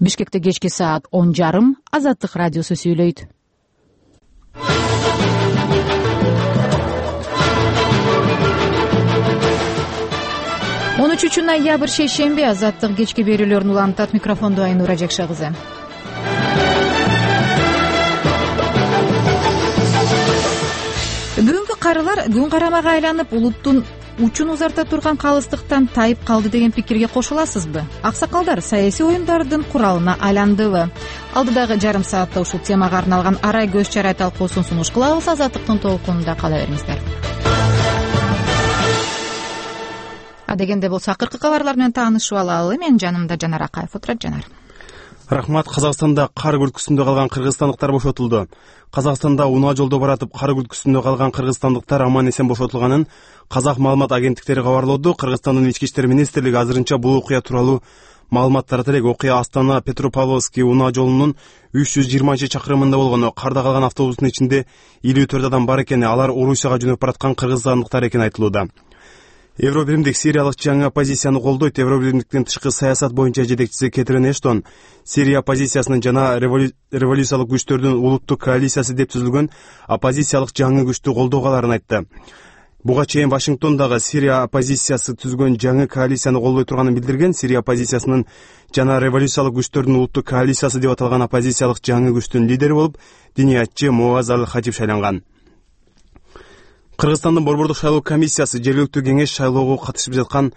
Бишкекте кечки саат 10:30 Азаттык радиосу сүйлөйт. 13 ноябрь шейшемби. Азаттык кечки берүүлөрүн улантат. Микрофондо Айнура Жакша кызы. Бүгүнкү карылар күн карамага айланып, улуттун учун узарта турган калыстыктан тайып калды деген пикирге кошуласызбы? Аксакалдар саясий оюндардын куралына айландыбы? Алдыдагы жарым саатта ушул темага арналган арай көз чарай талкуусун сунуш кылабыз. Азаттыктын толкунунда кала бериңиздер. Адегенде болсо акыркы кабарлар менен таанышып алалы. Менин жанымда Жанар Акаев отурат. Жанар. Рахмат. Казакстанда кар күлкүсүндө калган кыргызстандыктар бошотулду. Казакстанда унаа жолдо баратып кар күлкүсүндө калган кыргызстандыктар аман эсен бошотулганын казак маалымат агенттиктери кабарлоодо. Кыргызстандын ички иштер министрлиги азырынча бул окуя тууралуу маалымат тарата элек. Окуя Астана Петропавловский унаа жолунун 320-чакырымында болгону. Карда калган автобустун ичинде 54 адам бар экени, алар Орусияга жөнөп бараткан кыргызстандыктар экени айтылууда. Евробиримдик Сириялык жаңы оппозицияны колдойт. Евробиримдиктин тышкы саясат боюнча жетекчиси Кетрин Эштон Сирия оппозициясынын жана революциялык күчтөрдүн улуттук коалициясы деп түзүлгөн оппозициялык жаңы күчтү колдоого аларын айтты. Буга чейин Вашингтондагы Сирия оппозициясы түзгөн жаңы коалицияны колдой турганын билдирген. Сирия оппозициясынын жана революциялык күчтөрдүн улуттук коалициясы деп аталган оппозициялык жаңы күчтүн лидери болуп диниятчы Муаз Аль-Хатиб шайланган. Кыргызстандын борбордук шайлоо комиссиясы жергиликтүү кеңеш шайлоого катышып жаткан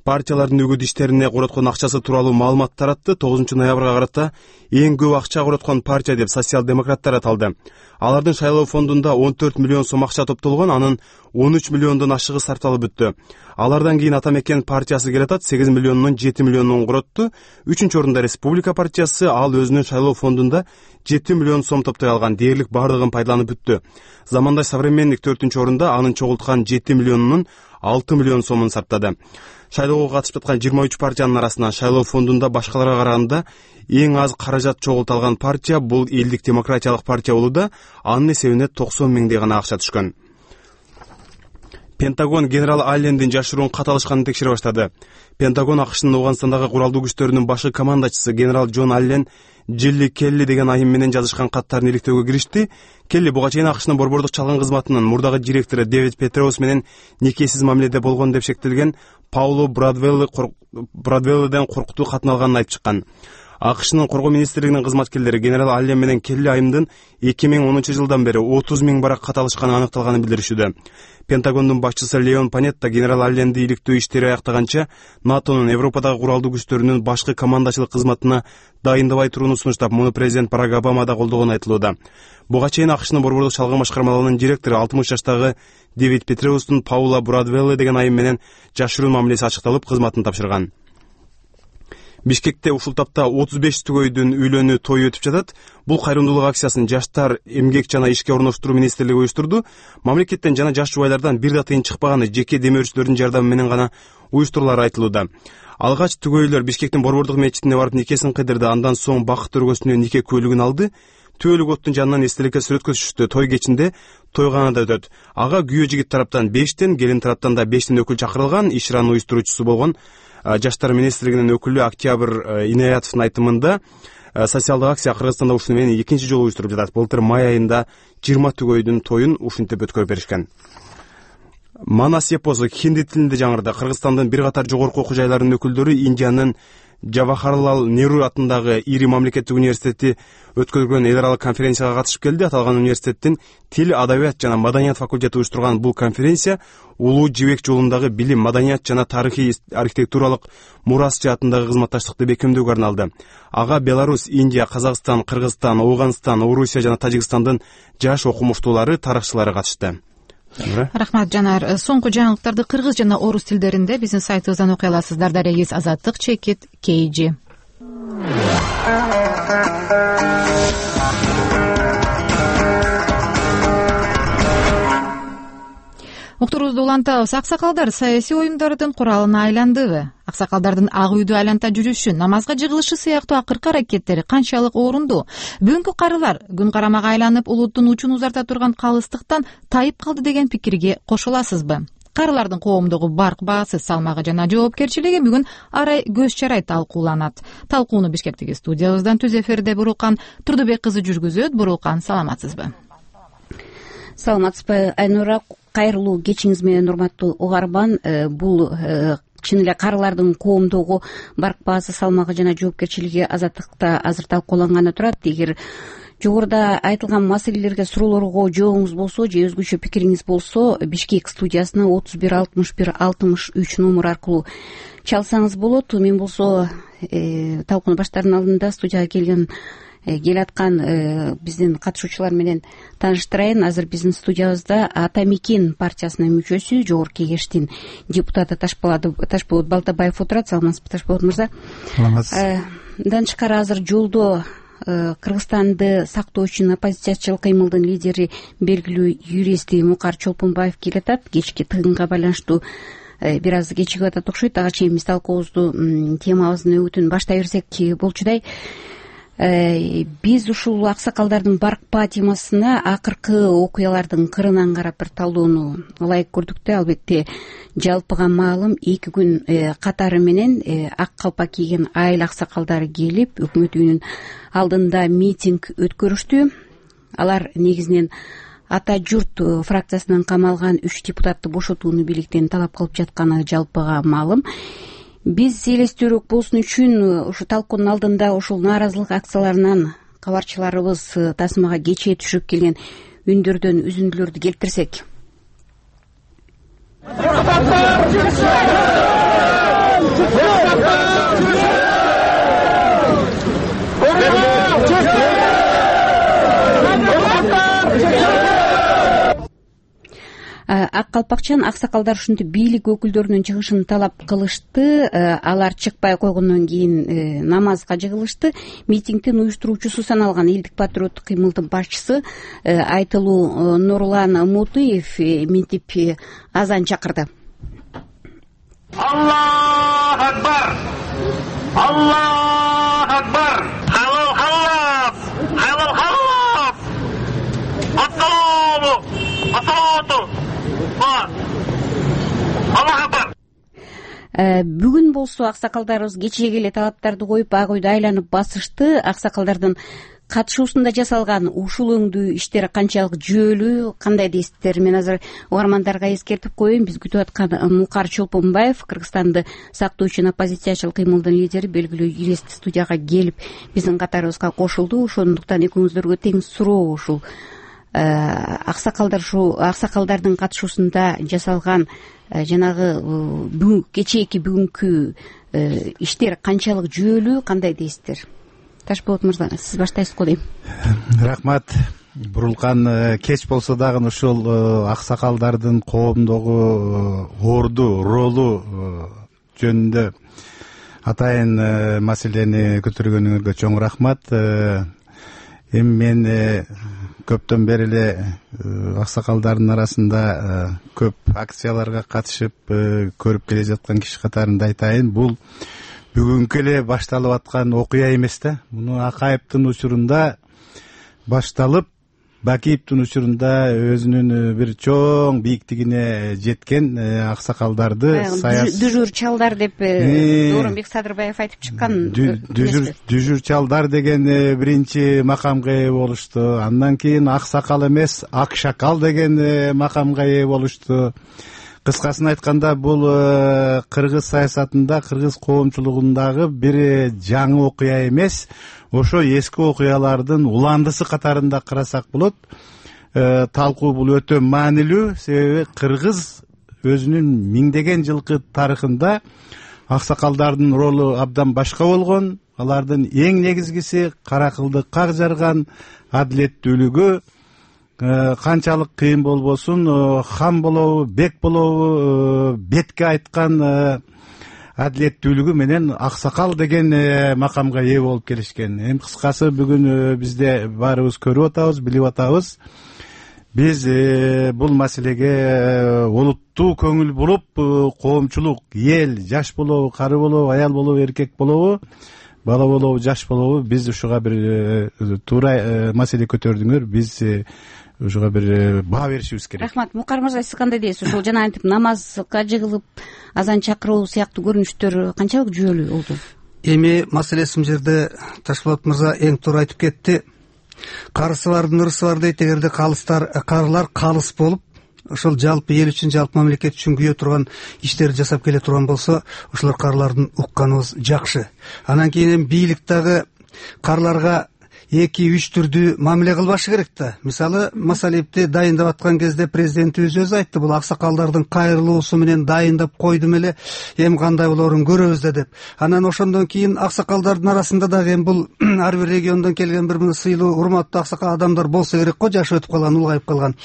партиялардын үгүт иштерине короткон акчасы тууралуу маалымат таратты. 9 ноябрга карата эң көп акча короткон партия деп социал-демократтар аталды. Алардын шайлоо фондунда 14 миллион сом акча топтолгон, анын 13 миллиондон ашыгы сарталып бүттү. Алардан кийин Ата Мекен партиясы келатат, 8 миллиондон 7 миллионун коротту. 3-чү орунда Республика партиясы, ал өзүнүн шайлоо фондунда 7 миллион сом топтой алган. Дээрлик бардыгын пайдаланып бүттү. Замандаш Современник 4-чү орунда, анын чогулткан 7 миллионунун 6 миллион сомун сарптады. Шайлоого катышып аткан 23 партиянын арасынан шайлоо фондунда башкаларга караганда эң аз каражат чогулталган партия бул Элдик демократиялык партия болууда. Анын эсебине 90 миңдей гана акча түшкөн. Пентагон генерал Аллендин жашыруун кат алышканын текшере баштады. Пентагон АКШнын Ооганстандагы куралдуу күчтөрүнүн башы командачысы генерал Джон Аллен Джилли Келли деген айым менен жазышкан каттарын иликтөөгө киришти. Келли буга чейин АКШнын борбордук чалгын кызматынын мурдагы директору Дэвид Петреус менен никесиз мамиледе болгон деп шектелген Пауло Брадвелледен коркутуу катын алганын айтып чыккан. АКШнын коргоо министрлигинин кызматкерлери генерал Аллен менен Келли айымдын 2010 жылдан бери 30 миң барак кат алышканы аныкталганын билдиришүүдө. Пентагондун башчысы Леон Панетта генерал Алленди иликтөө иштери аяктаганча НАТОнун Европадагы куралдуу күчтөрүнүн башкы командачылык кызматына дайындабай турууну сунуштап, муну президент Барак Обама да колдогону айтылууда. Буга чейин АКШнын борбордук чалгын башкармалыгынын директору 60 жаштагы Дэвид Петреустун Паула Брадвелле деген айым менен жашыруун мамилеси ачыкталып, кызматын тапшырган. Бишкекте ушул тапта 35 түгөйдүн үйлөнүү тою өтүп жатат. Бул кайрымдуулук акциясын Жаштар, эмгек жана ишке орноштуруу министрлиги уюштурду. Мамлекеттен жана жаш жубайлардан бир да тыйын чыкпаганы жеке демөөрчүлөрдүн жардамы менен гана уюштурулары айтылууда. Алгач түгөйлөр Бишкектин борбордук мечитине барып никесин кыдырды, андан соң бакыт өргөсүнө нике көйлүгүн алды. Түөлүк оттун жанынан эстеликке сүрөткө түшүштү. Той кечинде тойганада өтөт. Ага күйөө жигит тараптан 5тен, келин тараптан да 5тен өкүл чакырылган. Ишранын уюштуруучусу болгон Жаштар министрлигинин өкүлү Октябрь Инаятовдун айтымында социалдык акция Кыргызстанда ушуну менен экинчи жолу уюштуруп жатат. Былтыр май айында 20 түгөйдүн тоюн ушинтип өткөрүп беришкен. Манас эпосу хинди тилинде жаңырды. Кыргызстандын бир катар жогорку окуу жайларынын өкүлдөрү Индиянын Джавахарлал Неру атындагы ири мамлекеттик университети өткөргөн эл аралык конференцияга катышып келди. Аталган университеттин Тил, адабият жана маданият факультети уюштурган бул конференция Улуу Жибек жолундагы билим, маданият жана тарыхый архитектуралык мурас жаатындагы кызматташтыкты бекемдөөгө арналды. Ага Беларусь, Индия, Казакстан, Кыргызстан, Ооганстан, Орусия жана Тажикстандын жаш окумуштуулары, тарыхчылары катышты. Рахмат, Жанар. Соңку жаңылыктарды кыргыз жана орус тилдеринде биздин сайтыбыздан окуй аласыздар. Дарегиз Азаттык чекит KG. Уктурубузду улантабыз. Аксакалдар саясий оюндардын куралына айландыбы? Аксакалдардын ак үйдү айланта жүрүшү, намазга жыгылышы сыяктуу акыркы аракеттери канчалык орунду? Бүгүнкү карылар күн карамага айланып, улуттун учун узарта турган калыстыктан тайып калды деген пикирге кошуласызбы? карылардын коомдогу барк баасы, салмагы жана жоопкерчилиги бүгүн арай көз чарай талкууланат. Талкууну Бишкектеги студиябыздан түз эфирде Бурулкан Турдубек кызы жүргүзөт. Бурулкан, саламатсызбы? Саламатсызбы, Айнура? Кайрылуу кечиңиз менен, урматтуу угарман. Бул чын эле карылардын коомдогу барк баасы, салмагы жана жоопкерчилиги азаттыкта азыр талкууланганы турат. Эгер жогоруда айтылган маселелерге, суроолорго жообуңуз болсо же өзгөчө пикириңиз болсо, Бишкек студиясына 31 61 63 номер аркылуу чалсаңыз болот. Мен болсо талкууну баштаардын алдында студияга келаткан биздин катышуучулар менен тааныштырайын. Азыр биздин студиябызда Ата Мекен партиясынын мүчөсү, жогорку кеңештин депутаты Ташболот Балтабаев отурат. Саламатсызбы, Ташболот мырза? Саламатсыз. Мындан тышкары азыр жолдо Кыргызстанды сактоочу оппозициячылык кыймылдын лидери, белгилүү юрист Мукар Чолпонбаев келатат. Кечки тыгынга байланыштуу бир аз кечигип атат окшойт. Ага чейин биз талкуубузду, темабыздын өтүн баштай берсек болчудай. Биз ушул аксакалдардын баркпа темасына акыркы окуялардын кырынан карап бир талдоону ылайык көрдүк да. Албетте жалпыга маалым 2 күн катары менен ак калпак кийген айыл аксакалдары келип, өкмөт үйүнүн алдында митинг өткөрүштү. Алар негизинен Ата журт фракциясынан камалган 3 депутатты бошотууну бийликтен талап кылып жатканы жалпыга маалым. Биз элестүүрөөк болсун үчүн ушу талкуунун алдында ушул нааразылык акцияларынан кабарчыларыбыз тасмага кечээ түшүрүп келген үндөрдөн үзүндүлөрдү келтирсек. Ак калпакчан аксакалдар ушинтип бийлик өкүлдөрүнүн чыгышын талап кылышты. Алар чыкпай койгондон кийин намазга жыгылышты. Митингдин уюштуруучусу саналган элдик патриоттук кыймылдын башчысы Айтылуу Нурлан Мутуев минтип азан чакырды. Аллаху акбар! Аллаху акбар! Халал халал! Халал халал! Ассаламу! Ассалату! Аллаху акбар! Бүгүн болсо аксакалдарыбыз кечеге эле талаптарды коюп, ак үйдү айланып басышты. Аксакалдардын катышуусунда жасалган ушул өңдүү иштер канчалык жүйөлүү, кандай дейсиздер? Мен азыр угармандарга эскертип коеюн. Биз күтүп аткан Мукар Чолпонбаев, Кыргызстанды сактоочу оппозициячылык кыймылдын лидери, белгилүү юрист студияга келип биздин катарыбызга кошулду. Ошондуктан экөөңүздөргө тең суроо ушул аксакалдардын катышуусунда жасалган жанагы кечээки бүгүнкү иштер канчалык жүйөлүү, кандай дейсиздер? Ташболот мырза, сиз баштайсыз го дейм. Рахмат. Бурулкан, кеч болсо дагы ушул аксакалдардын коомдогу орду ролу жөнүндө атайын маселени көтөргөнүңөргө чоң рахмат. Эми мен көптөн бери эле аксакалдардын арасында көп акцияларга катышып көрүп келе жаткан киши катарында айтайын. Бул бүгүнкү эле башталып аткан окуя эмес да. Муну Акаевдин учурунда башталып, Бакиевдин учурунда өзүнүн бир чоң бийиктигине жеткен аксакалдарды дүжүр чалдар деп Дооронбек Садырбаев айтып чыккан. Дүжүр чалдар деген биринчи макамга ээ болушту. Андан кийин аксакал эмес, акшакал деген макамга ээ болушту. Кыскасын айтканда, бул кыргыз саясатында, кыргыз коомчулугундагы бир жаңы окуя эмес, ошо эски окуялардын уландысы катарында карасак болот. Талкуу бул өтө маанилүү, себеби кыргыз өзүнүн миңдеген жылкы тарыхында аксакалдардын ролу абдан башка болгон. Алардын эң негизгиси кара кылды как жарган, адилеттүүлүгү, канчалык кыйын болбосун, хан болобу, бек болобу, бетке айткан адилеттүүлүгү менен аксакал деген макамга ээ болуп келишкен. Эми кыскасы бүгүн бизде баарыбыз көрүп атабыз, билип атабыз. Биз бул маселеге олуттуу көңүл буруп, коомчулук, эл, жаш болобу, кары болобу, аял болобу, эркек болобу, бала болобу жаш болобу биз ушуга бир туура маселе көтөрдүңөр, биз ушуга бир баа беришибиз керек. Рахмат. Мукар мырза, сиз кандай дейсиз? Ушул жана антип намазга жыгылып азан чакыруу сыяктуу көрүнүштөр канчалык жүйөлүү болду? Эми маселеси бул жерде Ташболот мырза эң туура айтып кетти. Карысы бардын ырысы бар дейт. Эгерде карылар калыс болуп, ошол жалпы эл үчүн, жалпы мамлекет үчүн күйө турган иштерди жасап келе турган болсо, ошолор карлардын укканыбыз жакшы. Анан кийин эми бийлик дагы карларга 2-3 түрдүү мамиле кылбашы керек да. Мисалы, Масалиевди дайындап аткан кезде президентибиз өзү айтты, бул аксакалдардын кайрылуусу менен дайындап койдум эле, эми кандай болоорун көрөбүз да деп. Анан ошондон кийин аксакалдардын арасында дагы эми бул ар бир региондон келген бир мына сыйлуу, урматтуу аксакал адамдар болсо керек го, жашы өтүп калган, улгайып калган.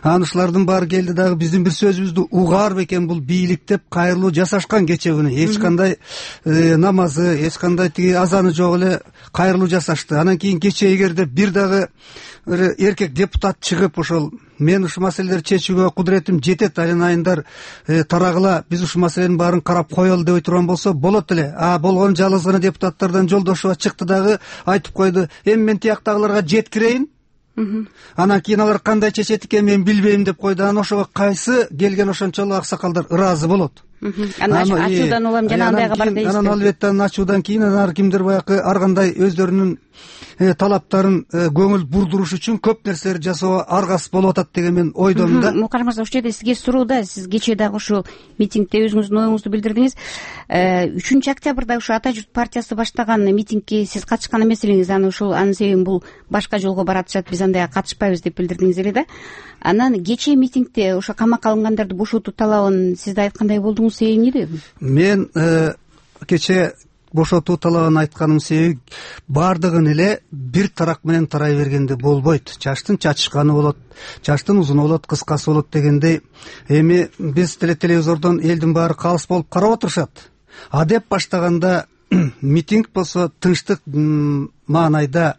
Анан ушулардын баары келди дагы биздин бир сөзүбүздү угаар бекен бул бийлик деп кайрылуу жасашкан кече күнү. Эч кандай намазы, эч кандай тиги азаны жок эле кайрылуу жасашты. Анан кийин эгерде бир дагы эркек депутат чыгып, ошол мен ушул маселелерди чечүүгө кудуретим жетет, айран айындар тарагыла, биз ушул маселенин баарын карап коелу деп турган болсо болот эле. Болгон жалгыз гана депутаттардан Жолдошова чыкты дагы айтып койду, эми мен тияктагыларга жеткирейин, анан кийин алар кандай чечет экен мен билбейм деп койду. Анан ошого кайсы келген ошончолук аксакалдар ыраазы болот. Анан ачуудан улам жана андайга бар дейсиз. Анан албетте ачуудан кийин ар кимдир баягы ар кандай өздөрүнүн талаптарын көңүл бурдуруш үчүн көп нерселерди жасоого аргасыз болуп атат деген мен ойдомун да. Мукар мырза, ушул жерде сизге суроо да. Сиз кечээ дагы ушул митингде өзүңүздүн оюңузду билдирдиңиз. 3 октябрда ушул Ата журт партиясы баштаган митингге сиз катышкан эмес элеңиз. Анын себебин бул башка жолго баратышат, биз андайга катышпайбыз деп билдирдиңиз эле да. Анан кечээ митингде ошо камакка алынгандарды бошотуу талабын сиз айткандай болдуңуз, себеби эмнеде? Мен кечээ бошотуу талабын айтканымдын себеби баардыгын эле бир тарак менен тарай бергенде болбойт. Чачтын чачышканы болот, чачтын узуну болот, кыскасы болот дегендей. Эми биз телевизордон элдин баары калыс болуп карап отурушат. Деп баштаганда митинг болсо тынчтык маанайда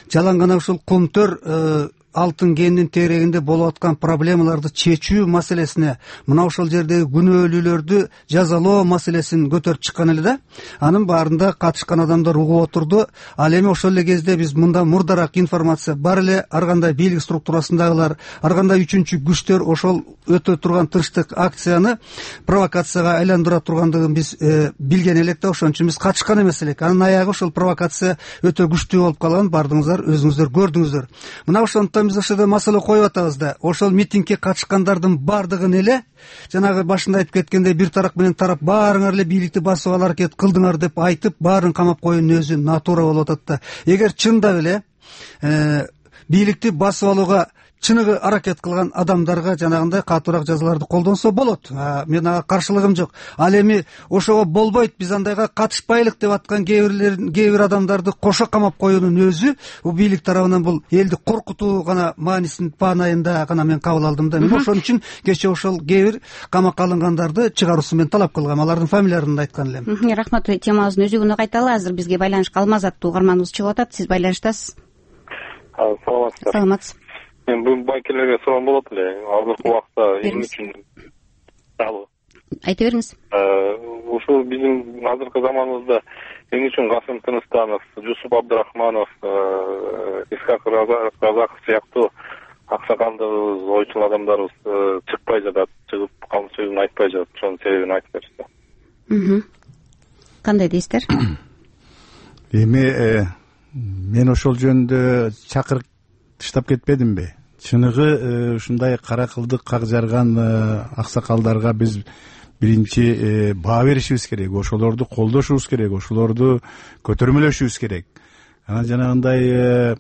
жалаң гана ушул комтөр алтын кендин тегерегинде болуп аткан проблемаларды чечүү маселесине, мына ошол жердеги күнөөлүүлөрдү жазалоо маселесин көтөрүп чыккан эле да. Анын баарында катышкан адамдар угуп отурду. Ал эми ошол эле кезде биз мында мурдараак информация бар эле, ар кандай бийлик структурасындагылар, ар кандай үчүнчү күчтөр ошол өтө турган тынчтык акцияны провокацияга айландыра тургандыгын биз билген элек да, ошон үчүн биз катышкан эмес элек. Анын аягы ошол провокация өтө күчтүү болуп калган, бардыгыңыздар өзүңүздөр көрдүңүздөр. Мына ошондон биз ошол маселе коюп атабыз да. Ошол митингге катышкандардын бардыгын эле жанагы башында айтып кеткендей бир тарак менен тарап баарыңар эле бийликти басып алар аракет кылдыңар деп айтып баарын камап коюунун өзү натура болуп атат да. Эгер чындап эле бийликти басып алууга чыныгы аракет кылган адамдарга жанагындай катуураак жазаларды колдонсо болот. Мен ага каршылыгым жок. Ал эми ошого болбойт, биз андайга катышпайлык деп аткан кээ бир адамдарды кошо камап коюунун өзү бийлик тарабынан бул элди коркутуу гана маанисин паанайында гана мен кабыл алдым да. Мен ошон үчүн кечээ ошол кээ бир камакка алынгандарды чыгаруусун мен талап кылгам. Алардын фамилияларын да айткан элем. Рахмат. Темабыздын өзөгүнө кайталы. Азыр бизге байланышка Алмаз аттуу угарманыбыз чыгып атат. Сиз байланыштасыз. Саламатсызбы? Мен бул байкелерге суроом болот эле. Азыркы убакта эмне үчүн айта бериңиз. Ушул биздин азыркы заманыбызда эмне үчүн Касым Тыныстанов, Жусуп Абдырахманов, Исхак Разаков сыяктуу аксакалдарыбыз, ойчул адамдарыбыз чыкпай жатат, чыгып калм сөзүн айтпай жатат. Ошонун себебин айтып берсиңиз. Кандай дейсиздер? Эми мен ошол жөнүндө чакырык таштап кетпедимби? Чыныгы ушундай кара кылдык как жарган аксакалдарга биз биринчи баа беришибиз керек, ошолорду колдошубуз керек, ошолорду көтөрмөлөшүбүз керек. Анан жанагындай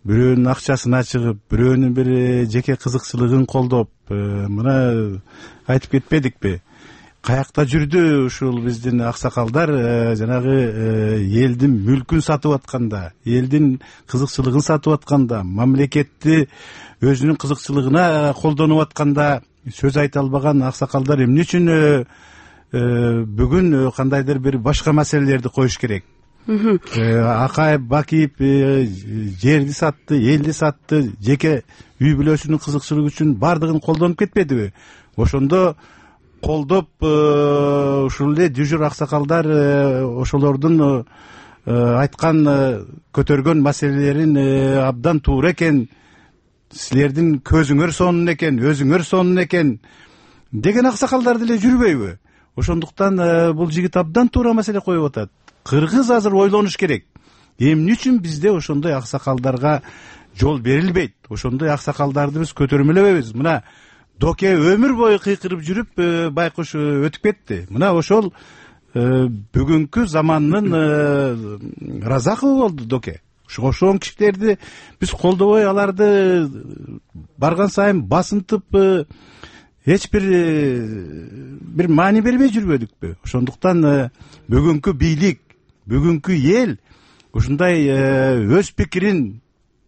бирөөнүн акчасына чыгып, бирөөнүн бир жеке кызыкчылыгын колдоп, мына айтып кетпедикпи? Каякта жүрдү ушул биздин аксакалдар жанагы элдин мүлкүн сатып атканда, элдин кызыкчылыгын сатып атканда, мамлекетти өзүнүн кызыкчылыгына колдонуп атканда сөз айта албаган аксакалдар эмне үчүн бүгүн кандайдыр бир башка маселелерди коюш керек? Акаев Бакиев жерди сатты, элди сатты, жеке үй бүлөсүнүн кызыкчылыгы үчүн бардыгын колдонуп кетпедиби? Ошондо колдоп ушул эле дюжур аксакалдар ошолордун айткан көтөргөн маселелерин абдан туура экен, силердин көзүңөр сонун экен, өзүңөр сонун экен деген аксакалдар деле жүрбөйбү? Ошондуктан бул жигит абдан туура маселе коюп атат. Кыргыз азыр ойлонуш керек. Эмне үчүн бизде ошондой аксакалдарга жол берилбейт? Ошондой аксакалдарды биз көтөрмөлөбөйбүз? Мына Доке өмүр бою кыйкырып жүрүп байкуш өтүп кетти. Мына ошол бүгүнкү замандын Разакову болду Доке. Ошол кишилерди биз колдобой, аларды барган сайын басынтып эч бир маани бербей жүрбөдүкпү? Ошондуктан бүгүнкү бийлик, бүгүнкү эл ушундай өз пикирин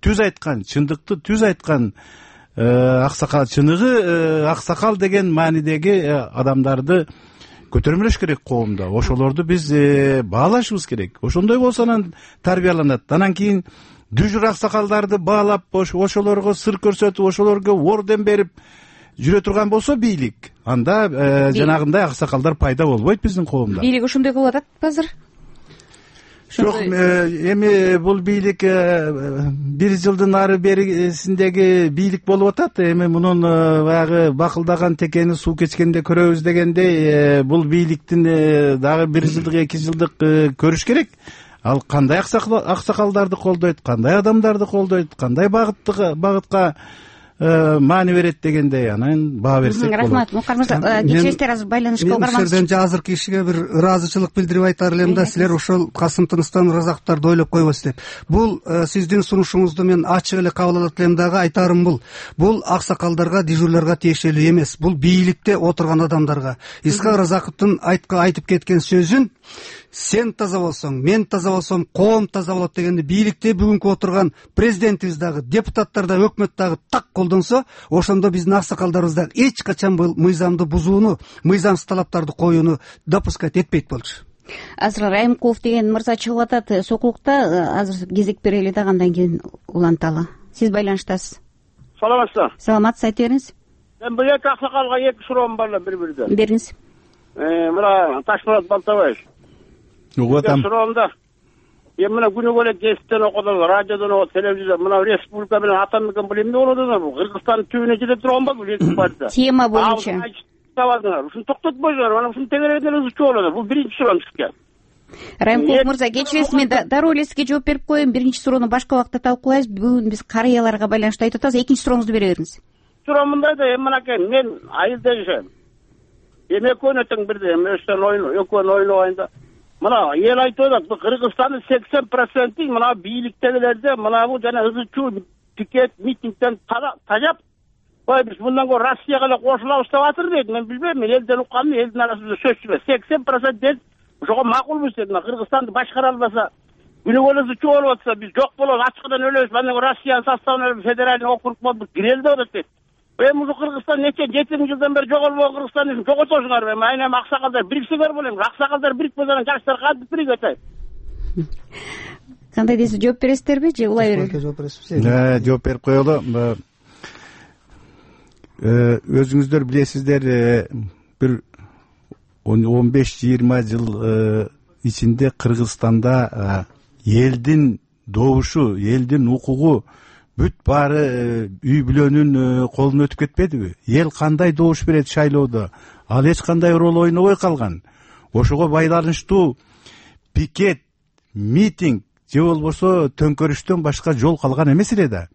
түз айткан, чындыкты түз айткан аксакал, чыныгы аксакал деген маанидеги адамдарды көтөрмөлөш керек коомдо. Ошолорду биз баалашыбыз керек. Ошондой болсо анан тарбияланат. Анан кийин дүжүр аксакалдарды баалап, ошолорго сыр көрсөтүп, ошолорго орден берип жүрө турган болсо бийлик, анда жанагындай аксакалдар пайда болбойт биздин коомдо. Бийлик ошондой кылып атат азыр? Жок, эми бул бийлик 1 жылдын ары берисиндеги бийлик болуп атат. Эми мунун баягы бакылдаган текени суу кечкенде көрөбүз дегендей, бул бийликтин дагы 1 жылдык, 2 жылдык көрүш керек. Ал кандай аксакалдарды колдойт, кандай адамдарды колдойт, кандай багытка маани берет дегендей, анан баа берсек болот. Рахмат, Мукар мырза. Кечиресиздер, азыр байланышка барганбыз. Мен силерден азыркы кишиге бир ыраазычылык билдирип айтар элем да, силер ошол Касым Тыныстан Разаковдорду ойлоп койбойсуз деп. Бул сиздин сунушуңузду мен ачык эле кабыл алат элем дагы. Айтарым бул аксакалдарга, дежурларга тиешелүү эмес. Бул бийликте отурган адамдарга. Исхак Разаковдун айтып кеткен сөзүн сен таза болсоң, мен таза болсом, коом таза болот дегенде бийликте бүгүнкү отурган президентибиз дагы, депутаттар да, өкмөт дагы так колдонсо, ошондо биздин аксакалдарыбыз дагы эч качан бул мыйзамды бузууну, мыйзамсыз талаптарды коюуну допускать этпейт болчу. Азыр Райымкулов деген мырза чыгып атат Сокулукта. Азыр кезек берели дагы, андан кийин уланталы. Сиз байланыштасыз. Саламатсызбы? Саламатсыз, айта бериңиз. Мен бул эки аксакалга эки суроом бар эле бири-бириден. Бериңиз. Мына Ташмурат Балтабаев. Угуп атам. Суроомда эми мына күнүгө эле гезиттен окудум, радиодон окудум, телевизордон, мына республика менен атамекен бул эмне болуп атат? Бул Кыргызстандын түбүнө жете турган болду бул эки партия. Тема боюнча. Ушуну токтотпойсуңар, mana ушуну тегерегден ызычуу болот. Бул биринчи суроом сизге. Райымкулов мырза, кечиресиз, мен дароо эле сизге жооп берип коеюн. Биринчи суроону башка убакытта талкуулайбыз. Бүгүн биз карыяларга байланыштуу айтып атабыз. Экинчи сурооңузду бере бериңиз. Суроом мындай да, эми мынакей, мен айылда жашайм. Эми экөөнө тең бирдей, эми экөөнү ойлобойн да. Мына эл айтып атат, бул Кыргызстандын 80% мына бийликтегилерде мына бул жана ызычуу пикет, митингден тажап, ой биз мындан көрө Россияга эле кошулабыз деп атыр дейт. Мен билбейм, мен элден укканым, элдин арасында сөзсүз эмес. 80% дел ошого макулбуз дейт. Мына Кыргызстанды башкара албаса, күнүгө эле ызычуу болуп атса, биз жок болобуз, ачкыдан өлөбүз, андан көрө Россиянын составына федеральный округ болуп кирели деп атат дейт. Эми ушул Кыргызстан нече 7 жылдан бери жоголбогон Кыргызстанды жоготосуңар. Эми айнем аксакалдар бириксеңер болот. Аксакалдар бирикпесе анан жаштар кантип биригет? Кандай дейсиз, жооп бересиздерби же улай берели? Жооп берип коелу. Өзүңүздөр билесиздер, бир 15-20 жыл ичинде Кыргызстанда элдин добушу, элдин укугу бүт баары үй бүлөнүн колуна өтүп кетпедиби? Эл кандай добуш берет шайлоодо, ал эч кандай роль ойнобой калган. Ошого байланыштуу пикет, митинг же болбосо төңкөрүштөн башка жол калган эмес эле да.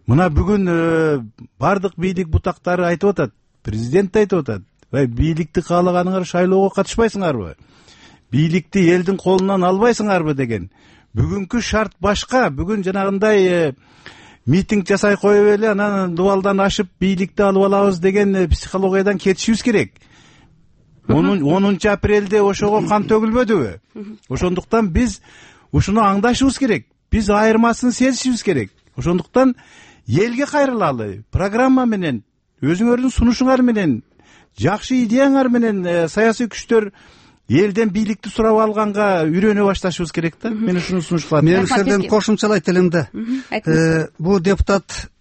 Мына бүгүн бардык бийлик бутактары айтып атат, президент айтып атат, бийликти каалаганыңар шайлоого катышпайсыңарбы? Бийликти элдин колунан албайсыңарбы деген. Бүгүнкү шарт башка. Бүгүн жанагындай митинг жасай коюп эле анан дубалдан ашып бийликти алып алабыз деген психологиядан кетишибиз керек. 10 апрелде ошого кан төгүлбөдүбү? Ошондуктан биз ушуну аңдашыбыз керек. Биз айырмасын сезишибиз керек. Ошондуктан элге кайрылалы, программа менен, өзүңөрдүн сунушуңар менен, жакшы идеяңар менен саясий күчтөр элден бийликти сурап алганга үйрөнө башташыбыз керек да. Мен ушуну сунуш кылам. Мен ушерден кошумчалайт элем да. Бул депутат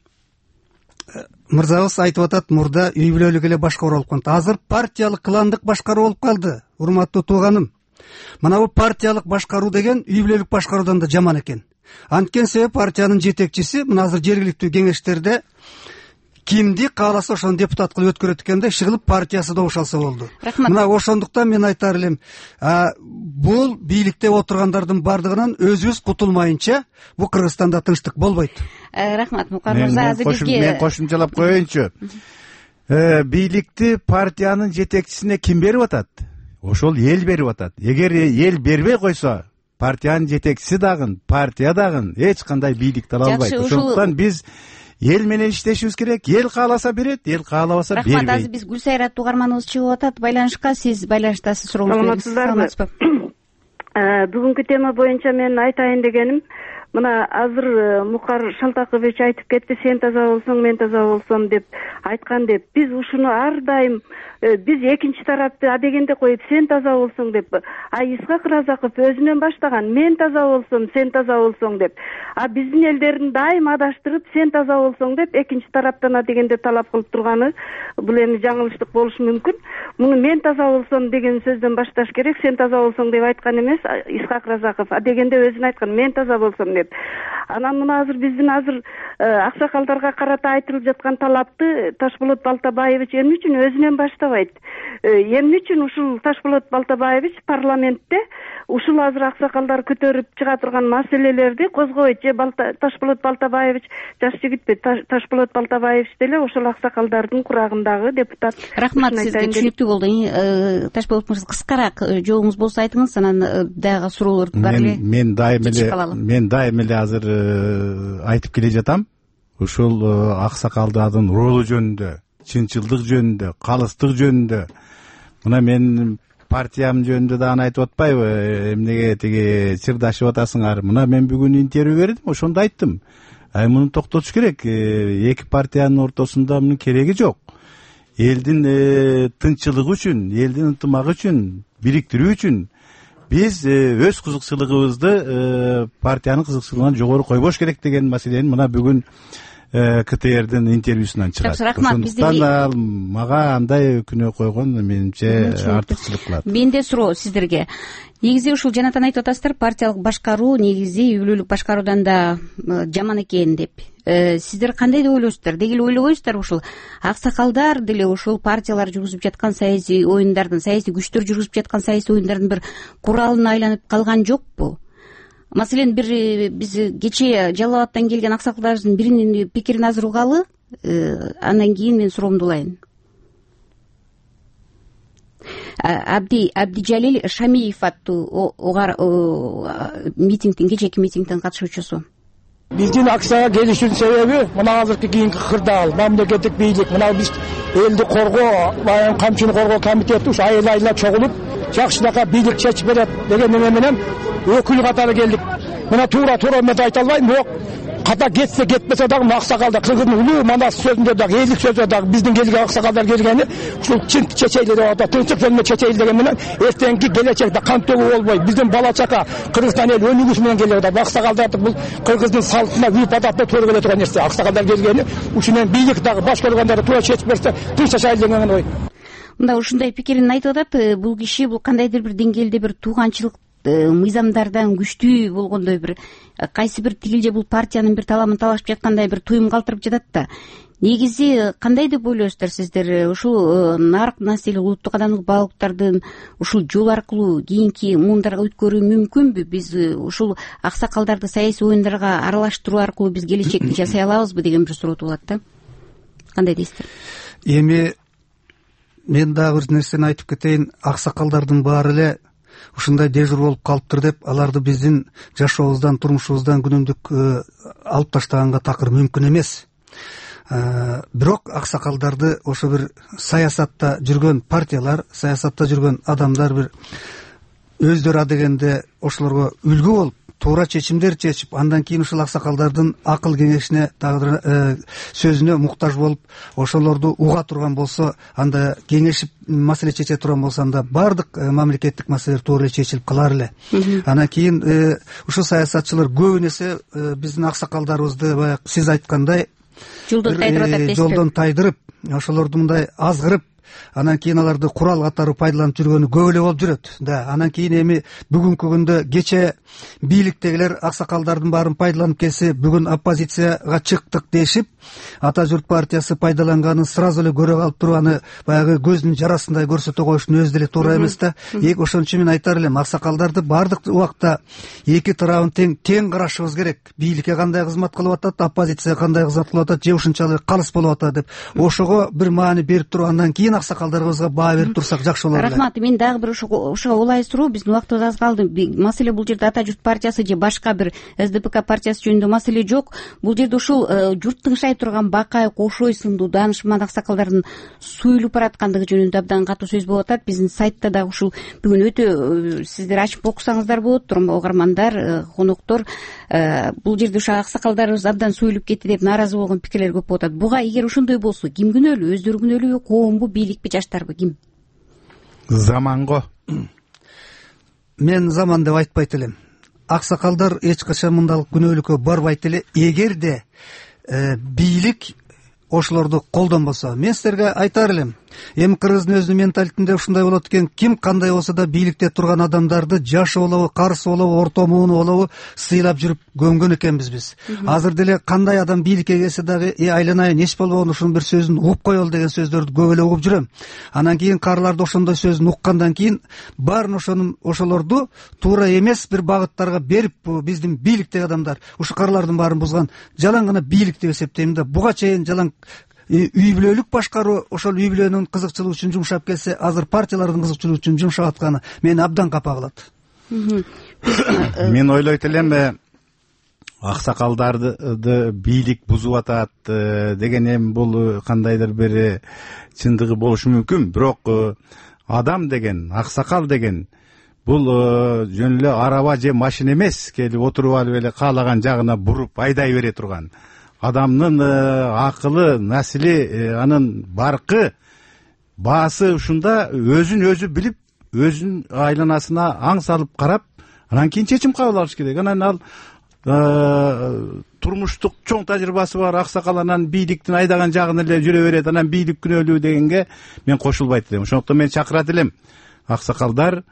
мырзабыз айтып атат, мурда үй бүлөлүк эле башкаруу болуп калды. Азыр партиялык, кландык башкаруу болуп калды. Урматтуу тууганым, мына бул партиялык башкаруу деген үй бүлөлүк башкаруудан да жаман экен. Анткени себеби партиянын жетекчиси мына азыр жергиликтүү кеңештерде кимди кааласа ошону депутат кылып өткөрөт экен да иши кылып партиясы добуш алса болду. Рахмат. Мына ошондуктан мен айтар элем, бул бийликте отургандардын бардыгынан өзүбүз кутулмайынча бул Кыргызстанда тынчтык болбойт. Рахмат Мукар мырза. Мен кошумчалап коеюнчу. Бийликти партиянын жетекчисине ким берип атат? Ошол эл берип атат. Эгер эл бербей койсо, партиянын жетекчиси дагы, партия дагы эч кандай бийликти ала албайт. Ошондуктан биз эл менен иштешибиз керек. Эл кааласа берет, эл каалабаса бербейт. Рахмат. Азыр биз Гүлсайрат угарманыбыз чыгып атат байланышка. Сиз байланыштасыз, сурооңузду бериңиз. Саламатсызбы? Бүгүнкү тема боюнча мен айтайын дегеним, мына азыр Мукар Шалтакович айтып кетти, сен таза болсоң мен таза болсом деп айткан деп. Биз ушуну ар дайым биз экинчи тарапты адегенде коюп сен таза болсоң деп, Исхак Разаков өзүнөн баштаган, мен таза болсом сен таза болсоң деп. Биздин элдерин дайым адаштырып сен таза болсоң деп экинчи тараптан адегенде талап кылып турганы бул эми жаңылыштык болушу мүмкүн. Муну мен таза болсом деген сөздөн башташ керек. Сен таза болсоң деп айткан эмес Исхак Разаков, адегенде өзүн айткан, мен таза болсом деп. Анан мына азыр биздин аксакалдарга карата айтылып жаткан талапты Ташболот Балтабаевич эмне үчүн өзүнөн баштабайт? Эмне үчүн ушул Ташболот Балтабаевич парламентте ушул азыр аксакалдар көтөрүп чыга турган маселелерди козгобойт? Же Ташболот Балтабаевич жаш жигитпи? Ташболот Балтабаевич деле ошол аксакалдардын курагындагы депутат. Рахмат сизге, түшүнүктүү болду. Ташболот мырза, кыскараак жообуңуз болсо айтыңыз, анан дагы суроолор бар эле. Мен дайым эле азыр айтып келе жатам. Ушул аксакалдардын ролу жөнүндө, чынчылдык жөнүндө, калыстык жөнүндө. Мына мен партиям жөнүндө дагы айтып атпайбы? Эмнеге тиги чырдашып атасыңар? Мына мен бүгүн интервью бердим, ошондо айттым. Муну токтотуш керек. Эки партиянын ортосунда мунун кереги жок. Элдин тынччылыгы үчүн, элдин ынтымагы үчүн, бириктирүү үчүн биз өз кызыкчылыгыбызды партиянын кызыкчылыгынан жогору койбош керек деген маселени мына бүгүн КТРдин интервьюсунан чыгат. Ошондуктан мага андай күнөө койгон менимче артыкчылык кылат. Менде суроо сиздерге. Негизи ушул жанатан айтып атасыздар, партиялык башкаруу негизи үй бүлөлүк башкаруудан да жаман экен деп. Сиздер кандай деп ойлойсуздар? Деги эле ойлобойсуздарбы ушул аксакалдар деле ушул партиялар жүргүзүп жаткан саясий оюндардын, саясий күчтөр жүргүзүп жаткан саясий оюндардын бир куралына айланып калган жокпу? Маселен, биз кечээ Жалал Абадтан келген аксакалдардын биринин пикирин азыр угалы, андан кийин мен суроомду улайын. Абдижалил Шамиев аттуу митингдин, кечээки митингдин катышуучусу. Биздин акцияга келишүүнүн себеби мына азыркы кийинки кырдаал, мамлекеттик бийлик, мына биз элди коргоо, камчыны коргоо комитети ушу айла чогулуп, жакшынака бийлик чечип берет деген эме менен өкүл катары келдик. Мына туура мен айта албайм, бирок ката кетсе кетпесе дагы аксакалдар Кыргыздын улуу манас сөзүндө дагы, элдик сөзүндө дагы биздин келген аксакалдар келгени ушул чын чечейлер деп атат. Тынчтык жөнүндө чечейл деген менен эртеңки келечекте кан төгүү болбой, биздин бала чака Кыргызстан эл өнүгүш менен келип атат. Аксакалдарды бул Кыргыздын салтына, үйп адатына туура келе турган нерсе. Аксакалдар келгени ушунен бийлик дагы баш көргөндөрдү туура чечип берсе тынч жашайлы деген ой. Мында ушундай пикирин айтып атат. Бул киши бул кандайдыр бир деңгээлде бир тууганчылык мыйзамдардан күчтүү болгондой бир кайсы бир тигил же бул партиянын бир таламын талашып жаткандай бир туюм калтырып жатат да. Негизи кандай деп ойлойсуздар сиздер? Ушул нарк населе улуттук адамдык баалуулуктардын ушул жол аркылуу кийинки муундарга өткөрүү мүмкүнбү? Биз ушул аксакалдарды саясий оюндарга аралаштыруу аркылуу биз келечекти жасай алабызбы деген бир суроо туулат да. Кандай дейсиздер? Эми мен дагы бир нерсени айтып кетейин. Аксакалдардын баары эле ушундай дежур болуп калыптыр деп аларды биздин жашообуздан, турмушубуздан күнүмдүк алып таштаганга такыр мүмкүн эмес. Бирок аксакалдарды ошо бир саясатта жүргөн партиялар, саясатта жүргөн адамдар бир өздөрү адегенде ошолорго үлгү болуп, туура чечимдер чечип, андан кийин ушул аксакалдардын акыл кеңешине дагы сөзүнө муктаж болуп, ошолорду уга турган болсо, анда кеңешип маселе чече турган болсо, анда баардык мамлекеттик маселелер туура эле чечилип калар эле. Анан кийин ушул саясатчылар көбүн эсе биздин аксакалдарыбызды баягы сиз айткандай жолдон тайдырып, ошолорду мындай азгырып, анан кийин аларды курал катары пайдаланып жүргөнү көп эле болуп жүрөт да. Анан кийин эми бүгүнкү күндө кече бийликтегилер аксакалдардын баарын пайдаланып келсе, бүгүн оппозицияга чыктык дешип, Ата журт партиясы пайдаланганын сразу эле көрө калып туруп, аны баягы көздүн жарасындай көрсөтө коюштун өзү деле туура эмес да. Ошон үчүн мен айтар элем, аксакалдарды баардык убакта эки тарабын тең карашыбыз керек. Бийликке кандай кызмат кылып атат, оппозицияга кандай кызмат кылып атат, же ушунчалык калыс болуп атат деп ошого бир маани берип туруп, андан кийин аксакалдарыбызга баа берип турсак жакшы болот эле. Рахмат. Мен дагы бир ошого улай суроо, биздин убактыбыз аз калды. Маселе бул жерде Ата журт партиясы же башка бир СДПК партиясы жөнүндө маселе жок. Бул жерде ушул журт тыңшай турган Бакай, Кошой сындуу даанышман аксакалдардын суюлуп бараткандыгы жөнүндө абдан катуу сөз болуп атат. Биздин сайтта дагы ушул бүгүн өтө сиздер ачып окусаңыздар болот, угармандар, коноктор. Бул жерде ушу аксакалдарыбыз абдан суюлуп кетти деп нааразы болгон пикирлер көп болуп атат. Буга эгер ошондой болсо ким күнөөлүү? Өздөрү күнөөлүүбү, коомбу, бийликпи, жаштарбы, ким? Заманго. Мен заман деп айтпайт элем. Аксакалдар эч качан мындайлык күнөөлүккө барбайт эле, эгерде бийлик ошолорду колдонбосо. Мен силерге айтар элем, эми кыргыздын өзүнүн менталитетинде ушундай болот экен, ким кандай болсо да бийликте турган адамдарды жашы болобу, карысы болобу, орто мууну болобу сыйлап жүрүп көмгөн экенбиз биз. Азыр деле кандай адам бийликке келсе дагы айланайын, эч болбогону ушунун бир сөзүн угуп коелу деген сөздөрдү көп эле угуп жүрөм. Анан кийин каарыларды ошондой сөзүн уккандан кийин баарын ошолорду туура эмес бир багыттарга берип, биздин бийликтеги адамдар ушу каарылардын баарын бузган жалаң гана бийлик деп эсептейм да. Буга чейин жалаң үй бүлөлүк башкаруу, ошол үй бүлөнүн кызыкчылыгы үчүн жумшап келсе, азыр партиялардын кызыкчылыгы үчүн жумшап атканы мени абдан капа кылат. Мен ойлойт элем, аксакалдарды бийлик бузуп атат деген эми бул кандайдыр бир чындыгы болушу мүмкүн. Бирок адам деген, аксакал деген бул жөн эле араба же машина эмес, келип отуруп алып эле каалаган жагына буруп айдай бере турган. Адамдын акылы, насили, анын баркы, баасы ушунда өзүн өзү билип, өзүнүн айланасына аң салып карап, анан кийин чечим кабыл алыш керек. Анан ал турмуштук чоң тажрыйбасы бар аксакал анан бийликтин айдаган жагын эле жүрө берет, анан бийлик күнөөлүү дегенге мен кошулбайт элем. Ошондуктан мен чакырат элем, аксакалдар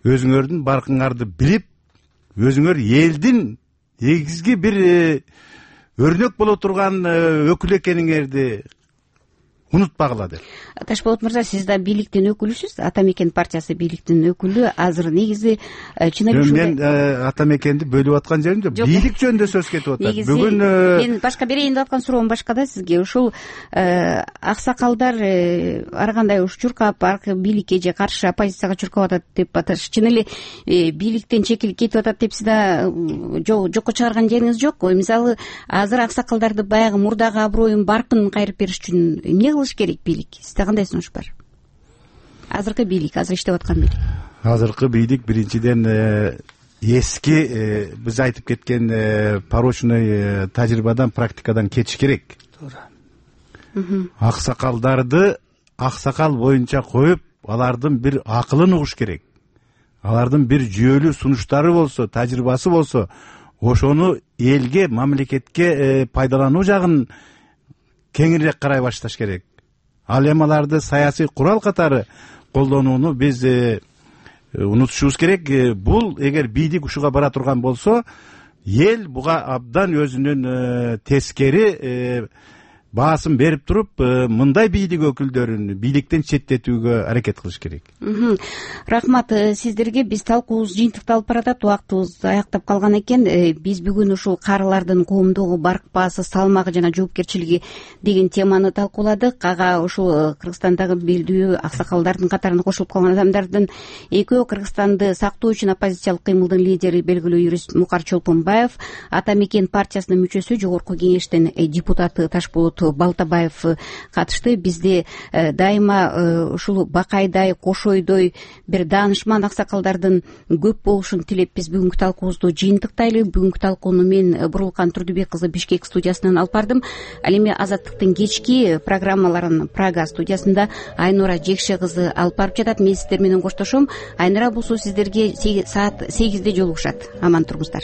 өзүңөрдүн баркыңарды билип, өзүңөр элдин негизги бир өрнөк боло турган өкүл экениңерди унутпагыла деп. Ташболот мырза, сиз да бийликтин өкүлүсүз. Ата мекен партиясы бийликтин өкүлү. Азыр негизи чын эле мен ата мекенди бөлүп аткан жерим жок. Бийлик жөнүндө сөз кетип атат. Бүгүн мен башка берейин деп аткан суроом башка да сизге. Ушул аксакалдар ар кандай уш чуркап, бийликке же каршы оппозицияга чуркап атат деп аташ. Чын эле бийликтен чекилип кетип атат деп сиз да жокко чыгарган жериңиз жокпу? Мисалы, азыр аксакалдарды баягы мурдагы аброюн, баркын кайрып бериш үчүн эмне кылыш керек бийлик? Сизде кандай сунуш бар? Азыркы бийлик, азыр иштеп аткан бийлик. Азыркы бийлик биринчиден эски биз айтып кеткен порочный тажрыйбадан, практикадан кетиш керек. Туура. Аксакалдарды аксакал боюнча коюп, алардын бир акылын угуш керек. Алардын бир жүйөлүү сунуштары болсо, тажрыйбасы болсо, ошону элге, мамлекетке пайдалануу жагын кеңирээк карай башташ керек. Ал эми аларды саясий курал катары колдонууну биз унутушубуз керек. Бул эгер бийлик ушуга бара турган болсо, эл буга абдан өзүнүн тескери баасын берип туруп, мындай бийлик өкүлдөрүн бийликтен четтетүүгө аракет кылыш керек. Рахмат сиздерге. Биз талкуубуз жыйынтыкталып баратат, убактыбыз аяктап калган экен. Биз бүгүн ушул каарылардын коомдогу баркпаасы, салмагы жана жоопкерчилиги деген теманы талкууладык. Ага ушул Кыргызстандагы белдүү аксакалдардын катарына кошулуп калган адамдардын экөө Кыргызстанды сактоо үчүн оппозициялык кыймылдын лидери, белгилүү юрист Мукар Чолпонбаев, Ата мекен партиясынын мүчөсү, жогорку кеңештин депутаты Ташболот Балтабаев катышты. Бизде дайыма ушул Бакайдай, Кошойдой бир даанышман аксакалдардын көп болушун тилеп, биз бүгүнкү талкуубузду жыйынтыктайлы. Бүгүнкү талкууну мен Буруулкан Турдубек кызы Бишкек студиясынан алып бардым. Ал эми Азаттыктын кечки программаларын Прага студиясында Айнура Жекше кызы алып барып жатат. Мен сиздер менен коштошом. Айнура болсо сиздерге саат 8-де жолугушат. Аман туруңуздар.